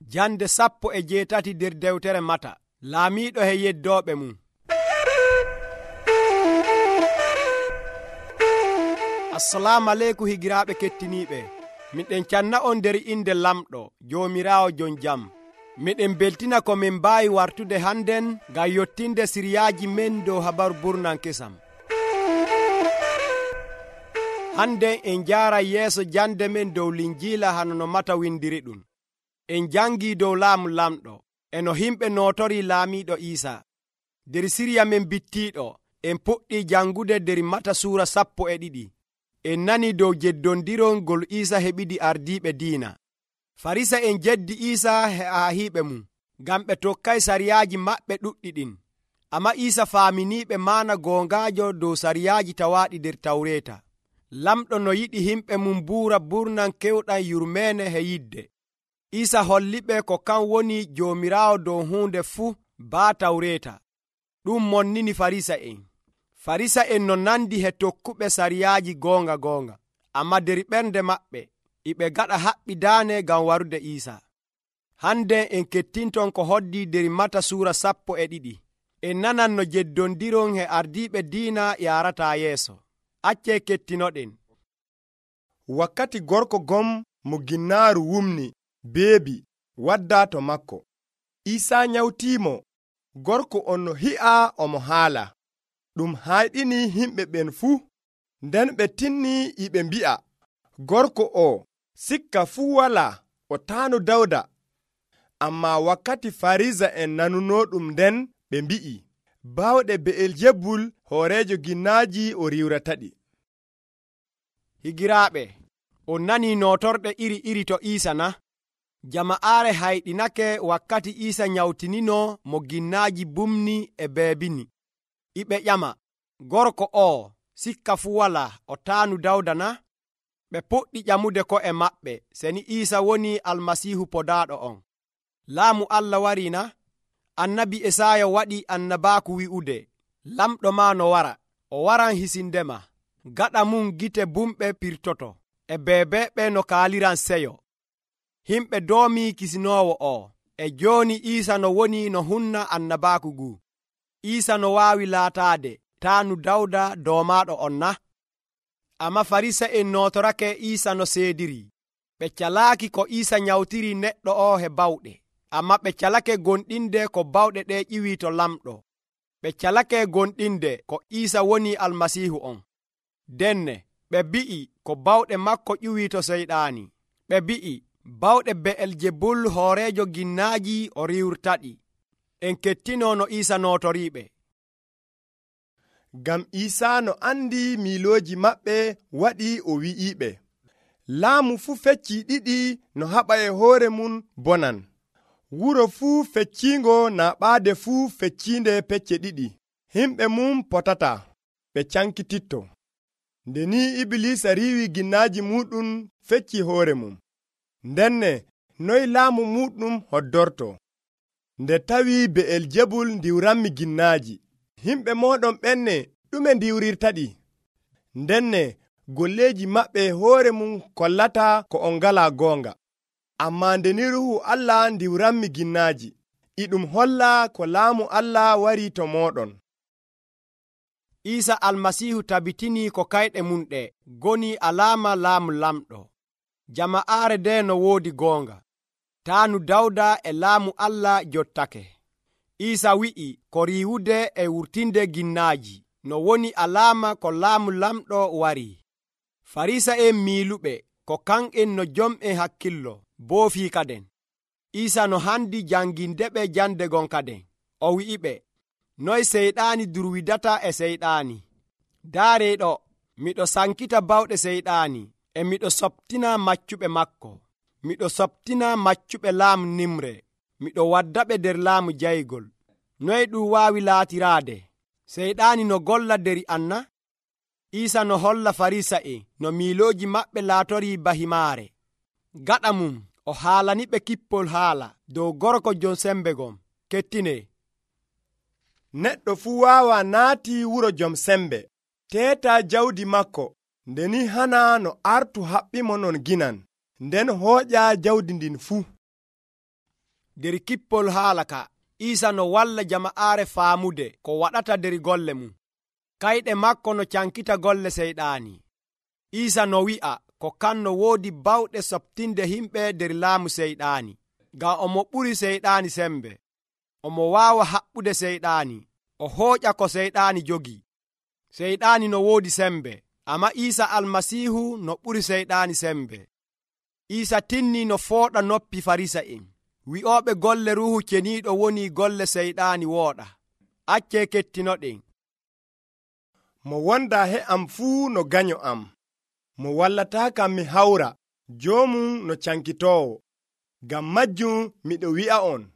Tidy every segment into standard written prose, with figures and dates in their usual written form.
Jande 17 nder dewtere Mata. Laamiiɗo e yeddooɓe mum. Assalamu aleykum higiraaɓe kettiniiɓe. Miɗen canna on nder inde Lamɗo Joomiraawo jon jam. Miɗen beltina ko min mbaawi wartude hannden ngam yottinde siriyaaji men dow habaru burnan kesam. Hannden en jaara yeeso jande men dow Linjiila hano no Mata windiri ɗum. En jangii dow laamu lamɗo e no himɓe nootori laamiiɗo Iisaa. Der siriya men bittiiɗo en puɗɗii jangude der Mata suura 12. En nani dow jeddondirol ngol Iisaa heɓidi ardiiɓe diina. Farisa en jeddi Iisaa e ahiiɓe mum ngam ɓe tokkay sariyaaji maɓɓe ɗuɗɗi ɗin. Amma Iisaa faaminiiɓe maana goongaajo dow sariyaaji tawaaɗi der Tawreeta. Lamɗo no yiɗi himɓe mum buura burnan kewɗam yurmeene e yidde. Iisaa holliɓe ko kan woni Joomiraawo dow huunde fuu baa Tawreeta. Ɗum monnini Farisa'en. Farisa'en no nandi he tokkuɓe sariyaaji goonga. Amma der ɓernde maɓɓe iɓe gaɗa haɓɓidaane ngam warude Iisaa. Hande en kettinton ko hoddi der Mata suura 12. En nanan no jeddondiron e ardiiɓe diina yaarataa yeeso. Accee kettinoɗen. Wakkati gorko gom mo ginnaaru wumni beebi wadda to makko. Iisaa nyawtiimo. Gorko on no hi'a omo haala. Ɗum hayɗini himɓe ɓen fuu. Nden ɓe tinni iɓe mbi'a, gorko o sikka fuu walaa o taanu Dawda. Amma wakkati Farisa en nanuno ɗum nden ɓe mbi'i, baawɗe Be'eljebul hooreejo ginnaaji o riwrataɗi. Higiraaɓe, on nanii nootorɗe iri to Iisaa na? Jama'aare hayɗinake wakkati Iisaa nyawtinino mo ginnaaji bumni e beebini. Iɓe ƴama, gorko o sikka fuu walaa o taanu Dawda na? Ɓe puɗɗi ƴamude ko'e maɓɓe seni Iisaa woni Almasiihu podaaɗo on. Laamu Allah warii na? Annabi Esaaya waɗi annabaaku wi'ude, lamɗo maa no wara, o waran hisindema. Gaɗa mum gite bumɓe pirtoto, e beebeeɓe no kaaliran seyo. Himɓe doomii kisinoowo o, e jooni Iisaa no woni no hunna annabaaku ngu. Iisaa no waawi laataade taanu Dawda doomaaɗo on na? Amma Farisa'en nootorake Iisaa no seediri. Ɓe calaaki ko Iisaa nyawtiri neɗɗo o he bawɗe. Amma ɓe calake gonɗinde ko bawɗe ɗe ƴiwii to lamɗo. Ɓe calake gonɗinde ko Iisaa woni Almasiihu on. Denne ɓe bi'i ko bawɗe makko ƴiwii to Seyɗaani. Ɓe bi'i bawɗe Be'eljebul hooreejo ginnaaji o riwrtaɗi. En kettino no Iisaa nootoriiɓe. Ngam Iisaa no andi miilooji maɓɓe waɗi o wi'iiɓe, laamu fuu feccii ɗiɗi no haɓa e hoore mum bonan. Wuro fuu fecciingo naaɓaade fuu fecciinde pecce ɗiɗi. Himɓe mum potata, ɓe cankititto. Nde ni Ibilisa riiwi ginnaaji muɗum fecci hoore mum. Ndenne noy laamu muɗum hoddorto? Nde tawi Be'eljebul ndiwranmi ginnaaji. Himɓe mooɗon ɓenne ɗume ndiwrirtaɗi? Ndenne golleeji maɓɓe hoore mum kollata ko on ngalaa goonga. Amma nde ni Ruuhu Allah ndiwranmi ginnaaji, iɗum holla ko laamu Allah warii to mooɗon. Iisaa Almasiihu tabitinii ko kayɗe mum ɗe goni alaama laamu lamɗo. Jama'aare nde no woodi goonga. Taanu Dawda e laamu Allah jottake. Iisaa wi'i ko riiwude e wurtinde ginnaaji no woni alaama ko laamu lamɗo warii. Farisa'en miiluɓe ko kan'en no jom'en hakkillo boofii kaden. Iisaa no handi jangindeɓe jande gon kaden. O wi'iɓe, noy Seyɗaani durwidata e Seyɗaani. Daaree ɗo, miɗo sankita bawɗe Seyɗaani e miɗo soptina maccuɓe makko. Miɗo soptina maccuɓe laamu Nimre. Miɗo waddaɓe der laamu jaygol. Noy ɗum waawi laatiraade? Seyɗaani no golla der an na? Iisaa no holla Farisa'en no miilooji maɓɓe laatorii bahimaare. Gaɗa mum o haalaniɓe kippol haala dow gorko jon sembe gon. Kettine. Neɗɗo fuu waawa naati wuro jom sembe, teeta jawdi makko, nde ni hana no artu haɓɓimo non ginan, nden hooƴa jawdi ndin fuu. nder kippol haala ka Iisa no walla jama'aare faamude ko waɗata nder golle mum. Kayɗe makko no cankita golle seyɗaani. Iisa no wi'a ko kanno woodi bawɗe softinde himɓe nder laamu seyɗaani, ngam omo ɓuri seyɗaani sembe. Omo waawa haɓɓude seyɗaani, o hooƴa ko seyɗaani jogii. Seyɗaani no woodi sembe, amma Iisa Almasiihu no ɓuri seyɗaani sembe. Iisa tinni no fooɗa noppi Farisa'en. Wi'ooɓe golle Ruuhu Ceniiɗo woni golle seyɗaani wooɗa. Accee kettinoɗen. Mo wonda he am fuu no ganyo am, mo wallataakam mi hawra, joomum no cankitoowo. Ngam majjum miɗo wi'a on,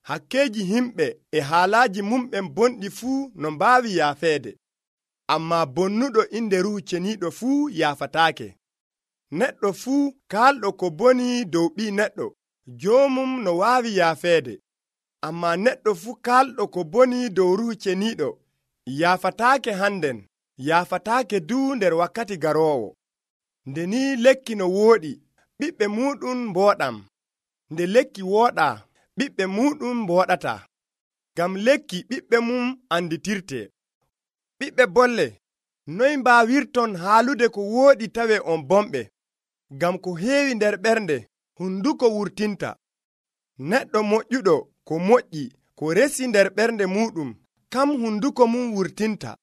hakkeeji himɓe e haalaaji mumɓen bonɗi fuu no mbaawi yaafeede, ammaa bonnuɗo inde Ruuhu Ceniiɗo fuu yaafataake. Neɗɗo fuu kaalɗo ko boni dow ɓii neɗɗo, joomum no waawi yaafeede, ammaa neɗɗo fuu kaalɗo ko boni dow Ruuhu Ceniiɗo yaafataake hannden, yaafataake duu nder wakkati garoowo. Nde ni lekki no wooɗi, ɓiɓɓe muuɗum mbooɗam. Nde lekki wooɗaa, ɓiɓɓe muuɗum mbooɗataa. Ngam lekki ɓiɓɓe mum anditirte. Ɓiɓɓe bolle, noy mbaawirton haalude ko wooɗi tawe on bomɓe? Ngam ko heewi nder ɓernde, hunduko wurtinta. Neɗɗo moƴƴuɗo ko moƴƴi ko resi nder ɓernde muuɗum, kam hunduko mum wurtinta.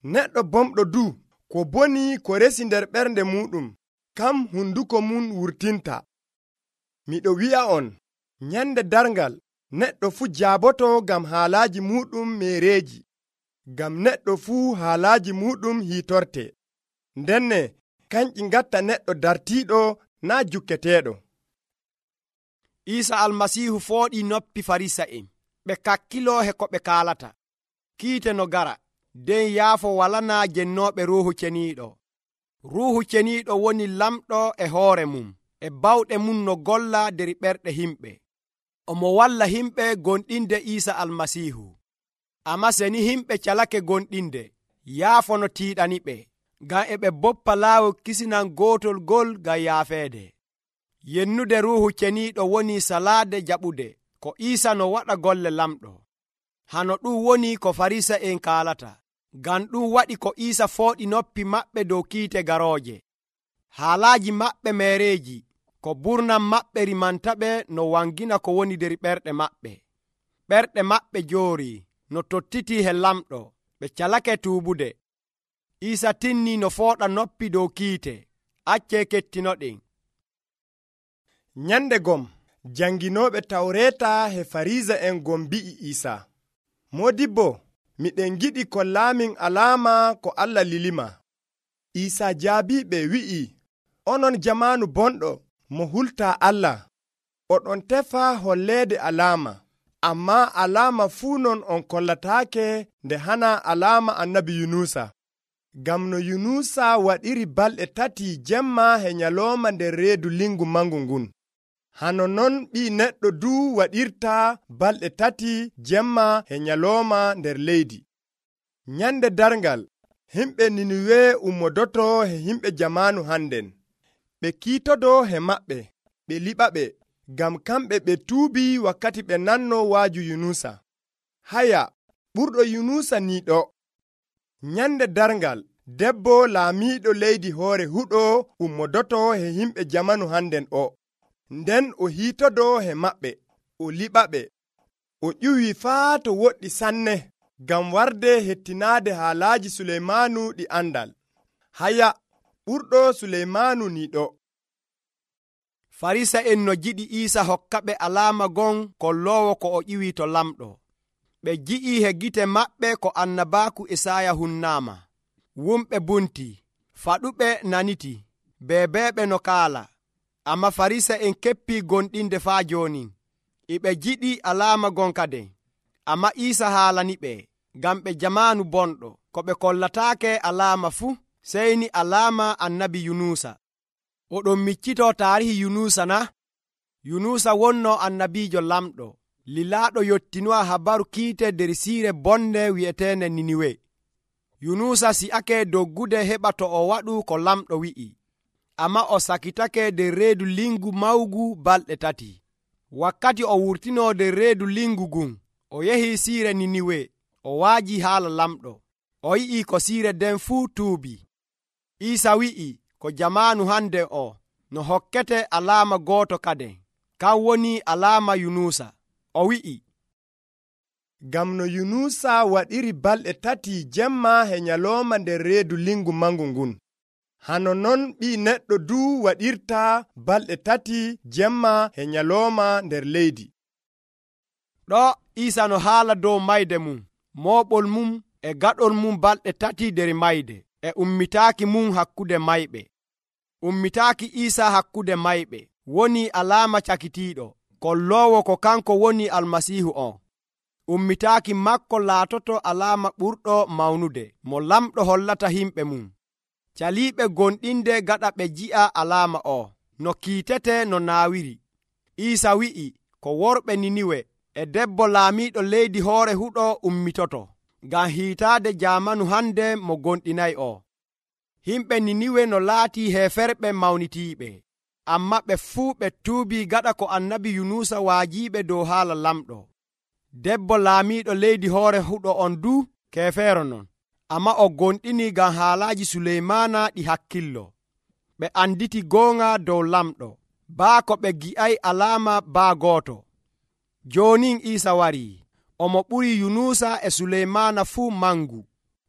Neɗɗo bomɗo duu ko boni ko resi nder ɓernde muuɗum, kam hunduko mum wurtinta. Miɗo wi'a on, nyande darngal neɗɗo fuu jaaboto ngam haalaaji muuɗum meereeji, ngam neɗɗo fuu haalaaji muuɗum hiitorte. Ndenne kanƴi ngatta neɗɗo dartiiɗo naa jukketeeɗo. Iisa Almasiihu fooɗii noppi Farisa'en, ɓe kakkiloo he ko ɓe kaalata. Kiite no gara, nden yaafo walanaa jennooɓe Ruuhu Ceniiɗo. Ruuhu Ceniiɗo woni lamɗo e hoore mum, e bawɗe mum no golla nder ɓerɗe himɓe. Omo walla himɓe gonɗinde Iisa Almasiihu. Amma seni himɓe calake gonɗinde, yaafo no tiiɗaniɓe, ngam e ɓe boppa laawol kisinan gootol gol ngam yaafeede. Yennude Ruuhu Ceniiɗo woni salaade jaɓude ko Iisa no waɗa golle lamɗo. Hano ɗum woni ko Farisa'en kaalata, ngam ɗum waɗi ko Iisa fooɗi noppi maɓɓe dow kiite garooje. Haalaaji maɓɓe meereeji, ko burnam maɓɓe rimantaɓe no wangina ko woni nder ɓerɗe maɓɓe. Ɓerɗe maɓɓe joorii no tottitii he lamɗo, ɓe calake tuubude. Iisa tinni no fooɗa noppi dow kiite. Accee kettinoɗen. Nyande gom, janginooɓe Tawreeta he Farisa'en gom mbi'i Iisa, Moodibbo, miɗen giɗi kollaamin alaama ko Allah lilima. Iisa jaabiɓe wi'i, onon jamaanu bonɗo mo hultaa Allah, oɗon tefa holleede alaama, ammaa alaama fuu non on kollataake nde hana alaama annabi Yunusa. Ngam no Yunusa waɗiri balɗe 3 jemma he nyalooma nder reedu lingu mangu ngun, hano non ɓii neɗɗo duu waɗirta balɗe 3 jemma he nyalooma nder leydi. Nyande darngal, himɓe Niniwe ummodoto he himɓe jamaanu hannden. Ɓe kiitodo he maɓɓe, ɓe liɓaɓe, ngam kamɓe ɓe tuubi wakkati ɓe nanno waaju Yunusa. Haya, ɓurɗo Yunusa niiɗo. Nyande darngal, debbo laamiiɗo leydi hoore huɗo ummodoto he himɓe jamanu hannden o. Nden o hiitodo he maɓɓe, o liɓaɓe, o ƴuwi faa to woɗɗi sanne, ngam warde hettinaade haalaaji Suleymaanu ɗi andal. Haya, ɓurɗo Suleymaanu niiɗo. Farisa'en no jiɗi Iisa hokkaɓe alaama gon kolloowo ko o ƴiwi to lamɗo. Ɓe ji'i he gite maɓɓe ko annabaaku Isaaya hunnaama. Wumɓe bunti, faɗuɓe naniti, beebeeɓe no kaala. Amma Farisa'en keppii gonɗinde faa jooni. Iɓe jiɗi alaama gon kaden. Amma Iisa haalaniɓe, ngam ɓe jamaanu bonɗo, ko ɓe kollataake alaama fuu, sey ni alaama annabi Yunusa. Oɗon miccitoo taarihi Yunusa na? Yunusa wonno annabiijo lamɗo, lilaaɗo yottinowa habaru kiite nder siire bonde wi'eteende Niniwe. Yunusa si'ake doggude heɓa to o waɗu ko lamɗo wi'i, amma o sakitake nder reedu lingu mawgu balɗe 3. wakkati o wurtino nder reedu lingu ngun o yehi siire Niniwe o waaji haala lamɗo o yi'i ko siire den fuu tuubi. Iisa wi'i ko jamaanu hande o no hokkete alaama gooto kaden, kan woni alaama Yunusa. O wi'i, ngam no Yunusa waɗiri balɗe 3 jemma e nyalooma nder reedu lingu mangu ngun, hano non ɓii neɗɗo du waɗirta balɗe 3 jemma e nyalooma nder leydi. ɗo Iisa no haala dow mayde mum, mooɓol mum e gaɗol mum balɗe 3 nder mayde, e ummitaaki mum hakkude mayɓe. Ummitaaki Iisa hakkude mayɓe woni alaama cakitiiɗo, kolloowo ko kanko woni Almasiihu on. Ummitaaki makko laatoto alaama ɓurɗo mawnude mo lamɗo hollata himɓe mum. Caliiɓe gonɗinde gaɗa ɓe ji'a alaama o no kiitete no naawiri. Iisa wi'i ko worɓe Niniwe e debbo laamiiɗo leydi hoore huɗo ummitoto ngam hiitaade jaamanu hande mo gonɗinayi o. Himɓe Niniwe no laatii heeferɓe mawnitiiɓe, amma ɓe fuu ɓe tuubii gaɗa ko annabi Yunusa waajiiɓe dow haala lamɗo. Debbo laamiiɗo leydi hoore huɗo on du keefeero non, amma o gonɗini ngam haalaaji Suleymaana ɗi hakkillo. Ɓe anditi goonga dow lamɗo, baa ko ɓe gi'ay alaama baa gooto. Joonin Iisa warii, omo ɓuri Yunusa e Suleymaana fuu mangu.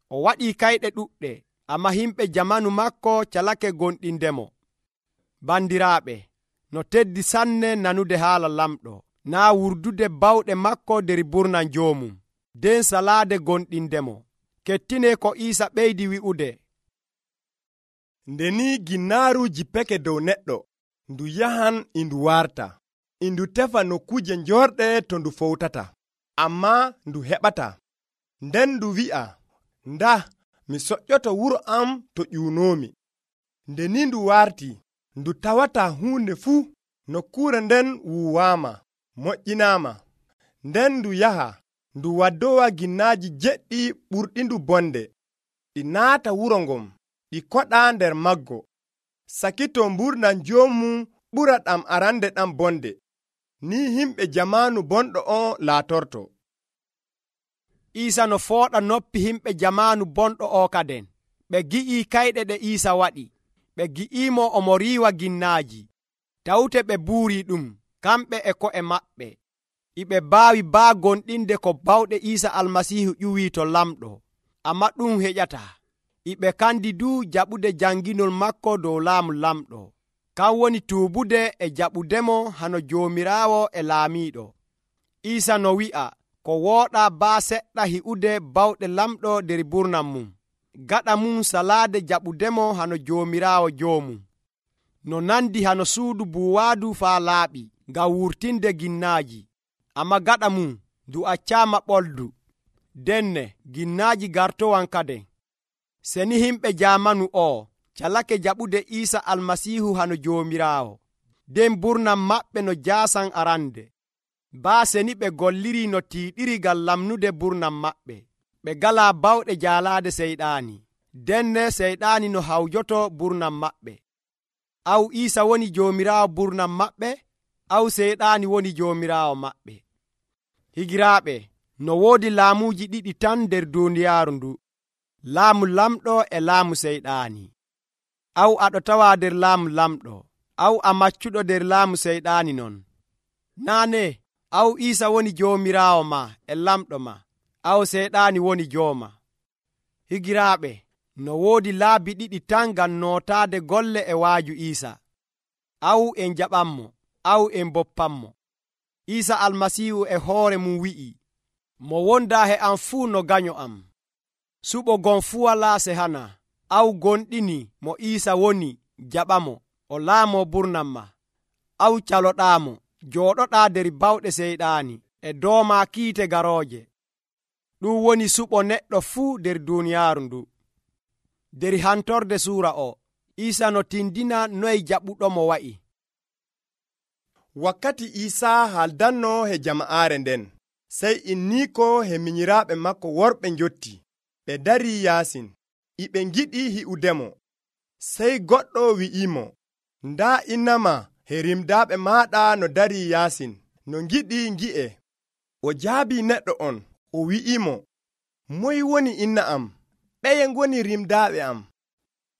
O waɗii kayɗe ɗuɗɗe, amma himɓe jamanu makko calake gonɗindemo. Bandiraaɓe, no teddi sanne nanude haala lamɗo, naa wurdude bawɗe makko nder burnan joomum, nden salaade gonɗindemo. Kettine ko Iisa ɓeydi wi'ude, nde ni ginnaaru jippeke dow neɗɗo, ndu yahan indu warta, indu tefa nokkuje njorɗe to ndu fowtata, amma ndu heɓata. Nden ndu wi'a, nda mi soƴƴoto wuro am to ƴuunoomi. Nde ni ndu warti, ndu tawata huunde fuu, nokkure nden wuuwaama, moƴƴinaama. Nden ndu yaha, ndu waddowa ginnaaji jeɗɗi ɓurɗindu bonde, ɗi naata wuro ngon, ɗi koɗa nder maggo, sakito mburnan joomum ɓura ɗam arande ɗam bonde. Ni himɓe jamaanu bonɗo on laatorto. Iisa no fooɗa noppi himɓe jamaanu bonɗo o kaden. Ɓe gi'ii kayɗe ɗe Iisa waɗi, ɓe gi'iimo omo riiwa ginnaaji, tawte ɓe buurii ɗum kamɓe e ko'e maɓɓe. Iɓe baawi baa gonɗinde ko bawɗe Iisa Almasiihu ƴuwii to lamɗo, amma ɗum heƴataa. Iɓe kandi du jaɓude janginol makko dow laamu lamɗo, kan woni tuubude e jaɓudemo hano Joomiraawo e laamiiɗo. Iisa no wi'a ko wooɗaa baa seɗɗa hi'ude bawɗe lamɗo nder burnan mum, gaɗa mum salaade jaɓudemo hano Joomiraawo joomum. No nandi hano suudu buuwaadu faa laaɓi ngam wurtinde ginnaaji, amma gaɗa mum ndu accaama ɓoldu. Denne ginnaaji gartowan kaden. Seni himɓe jaamanu o calake jaɓude Iisa Almasiihu hano Joomiraawo, nden burnan maɓɓe no jaasan arande. Baa seni ɓe golliri no tiiɗiri ngam lamnude burnan maɓɓe. Ɓe galaa bawɗe jaalaade Seyɗaani, denne Seyɗaani no hawjoto burnan maɓɓe. Aw Iisa woni Joomiraawo burnan maɓɓe, aw Seyɗaani woni joomiraawo maɓɓe. Higiraaɓe, no woodi laamuuji ɗiɗi tan nder duuniyaaru ndu, laamu lamɗo e laamu Seyɗaani. Aw aɗo tawa nder laamu lamɗo, aw a maccuɗo nder laamu Seyɗaani non. Naane, aw Iisa woni joomiraawo ma e lamɗo ma, aw Seyɗaani woni jooma. Higiraaɓe, no woodi laabi ɗiɗi tan ngam nootaade golle e waaju Iisa. Aw en jaɓanmo, aw en boppanmo. Iisa Almasiihu e hoore mum wi'i, mo wondaa he am fuu no ganyo am. Suɓo gon fuu walaa sehana. Aw gonɗini mo Iisa woni, jaɓamo, o laamo burnan ma. Aw caloɗaamo, jooɗoɗaa nder bawɗe Seyɗaani e dooma kiite garooje. Ɗum woni suɓo neɗɗo fuu nder duuniyaaru ndu. Der hantorde suura o, Iisa no tindina noye jaɓuɗomo wa'i. Wakkati Iisa haaldanno he jama'aare nden, sey inniiko he minyiraaɓe makko worɓe njotti. Ɓe darii yaasin, iɓe ngiɗi hi'udemo. Sey goɗɗo wi'imo, ndaa innama he rimdaaɓe maaɗa no darii yaasin. no ngiɗi ngi'e. O jaabi neɗɗo on, o wi'imo, moy woni inna am? Ɓeye ngoni rimdaaɓe am?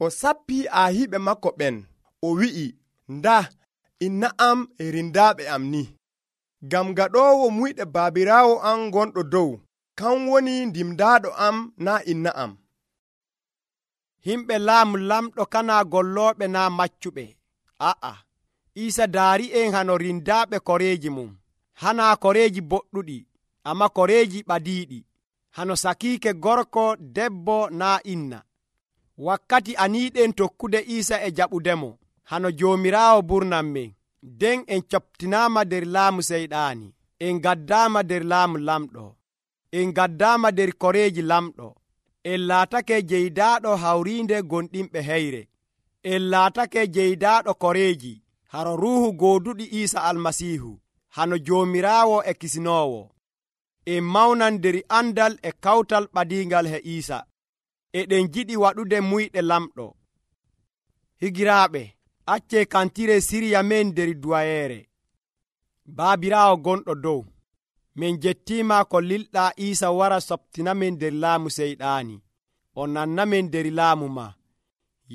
O sappi aahiɓe makko ɓen, o wi'i, nda inna am e rindaaɓe am ni. Ngam gaɗoowo muyɗe baabiraawo am gonɗo dow, kan woni ndimdaaɗo am naa inna am. Himɓe laamu lamɗo kana gollooɓe naa maccuɓe. A'a, Iisa daari'en hano rindaaɓe koreeji mum. Hanaa koreeji boɗɗuɗi, amma koreeji ɓadiiɗi. Hano sakiike gorko debbo naa inna. Wakkati aniiɗen tokkude Iisa e jaɓudemo, hano Joomiraawo burnan men. Den en coftinaama nder laamu seyɗaani. En gaddaama nder laamu lamɗo. En gaddaama nder koreeji lamɗo. En laatake jeydaaɗo hawriinde gonɗinɓe heyre. En laatake jeydaaɗo koreeji, haro ruuhu gooduɗi Iisa Almasiihu, hano Joomiraawo e Kisinoowo. En mawnan nder andal e kawtal ɓadiingal he Iisa. Eɗen jiɗi waɗude muyɗe lamɗo. Higiraaɓe, accee kantire sirya men nder duwayeere. Baabiraawo gonɗo dow, min jettiima ko lilɗaa Iisa wara soptinamen nder laamu seyɗaani. O nannamen nder laamu ma.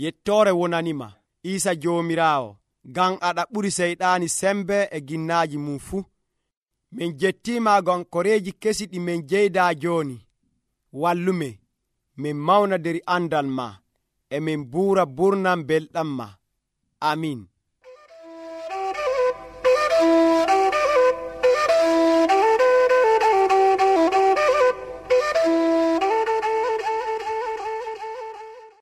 Yettoore wonanima, Iisa Joomiraawo, ngam aɗa ɓuri seyɗaani sembe e ginnaaji mum fuu. Min jettiima ngam koreeji kesi ɗi min jeydaa jooni. Wallumen, min mawna nder andal ma, e min buura burnam belɗam ma. Amin.